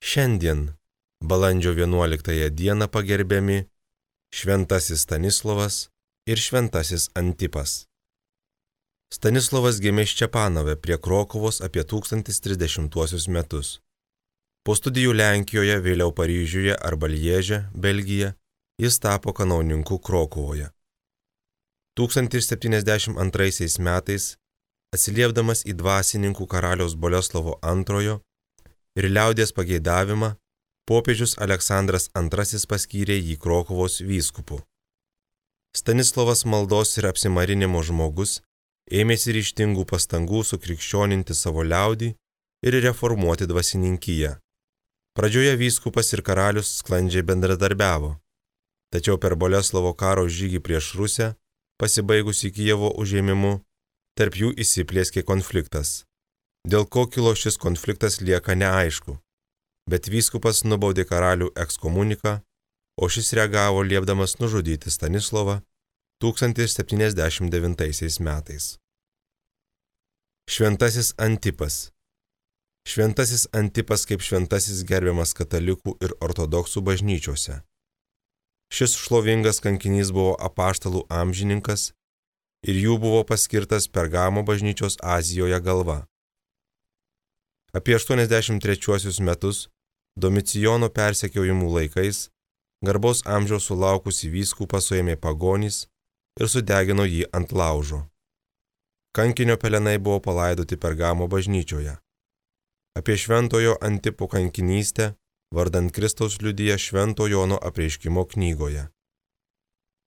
Šiandien, balandžio 11 dieną pagerbiami šventasis Stanislovas ir šventasis Antipas. Stanislovas gimė Ščepanove prie Krokuvos apie 1030 metus. Po studijų Lenkijoje, vėliau Paryžiuje arba Lieže, Belgija, jis tapo kanauninku Krokuvoje. 1072 metais, atsiliepdamas į dvasininkų karaliaus Boleslovo II ir liaudies pageidavimą, popiežius Aleksandras II paskyrė jį Krokuvos vyskupu. Stanislovas maldos ir apsimarinimo žmogus ėmėsi ryžtingų pastangų sukrikščioninti savo liaudį ir reformuoti dvasininkiją. Pradžioje vyskupas ir karalius sklandžiai bendradarbiavo, tačiau per Boleslovo karo žygį prieš Rusią, pasibaigusi Kijevo užėmimu, tarp jų įsiplieskė konfliktas. Dėl ko kilo šis konfliktas lieka neaišku, bet vyskupas nubaudė karalių ekskomuniką, o šis reagavo liepdamas nužudyti Stanislovą 1079 metais. Šventasis Antipas. Šventasis Antipas kaip šventasis gerbiamas katalikų ir ortodoksų bažnyčiose. Šis šlovingas kankinys buvo apaštalų amžininkas ir jų buvo paskirtas Pergamo bažnyčios Azijoje galva. Apie 83 metus, Domicijono persekiojimų laikais, garbaus amžiaus sulaukusį vyskupą suėmė pagonys ir sudegino jį ant laužo. Kankinio pelenai buvo palaidoti Pergamo bažnyčioje. Apie šventojo Antipo kankinystę vardan Kristaus liudija Švento Jono apreiškimo knygoje.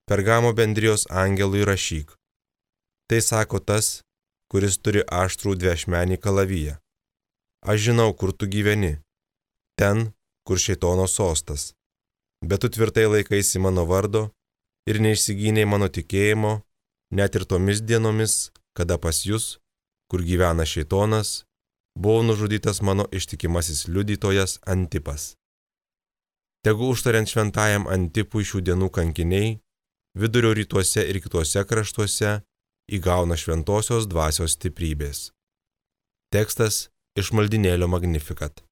Pergamo bendrijos angelui rašyk. Tai sako tas, kuris turi aštrų dviašmenį kalaviją. Aš žinau, kur tu gyveni, ten, kur šėtono sostas, bet tu tvirtai laikaisi mano vardo ir neišsigynei mano tikėjimo, net ir tomis dienomis, kada pas jus, kur gyvena šėtonas, buvo nužudytas mano ištikimasis liudytojas Antipas. Tegu užtariant šventajam Antipui šių dienų kankiniai, vidurio rytuose ir kituose kraštuose įgauna šventosios dvasios stiprybės. Tekstas iš maldynėlio Magnificat.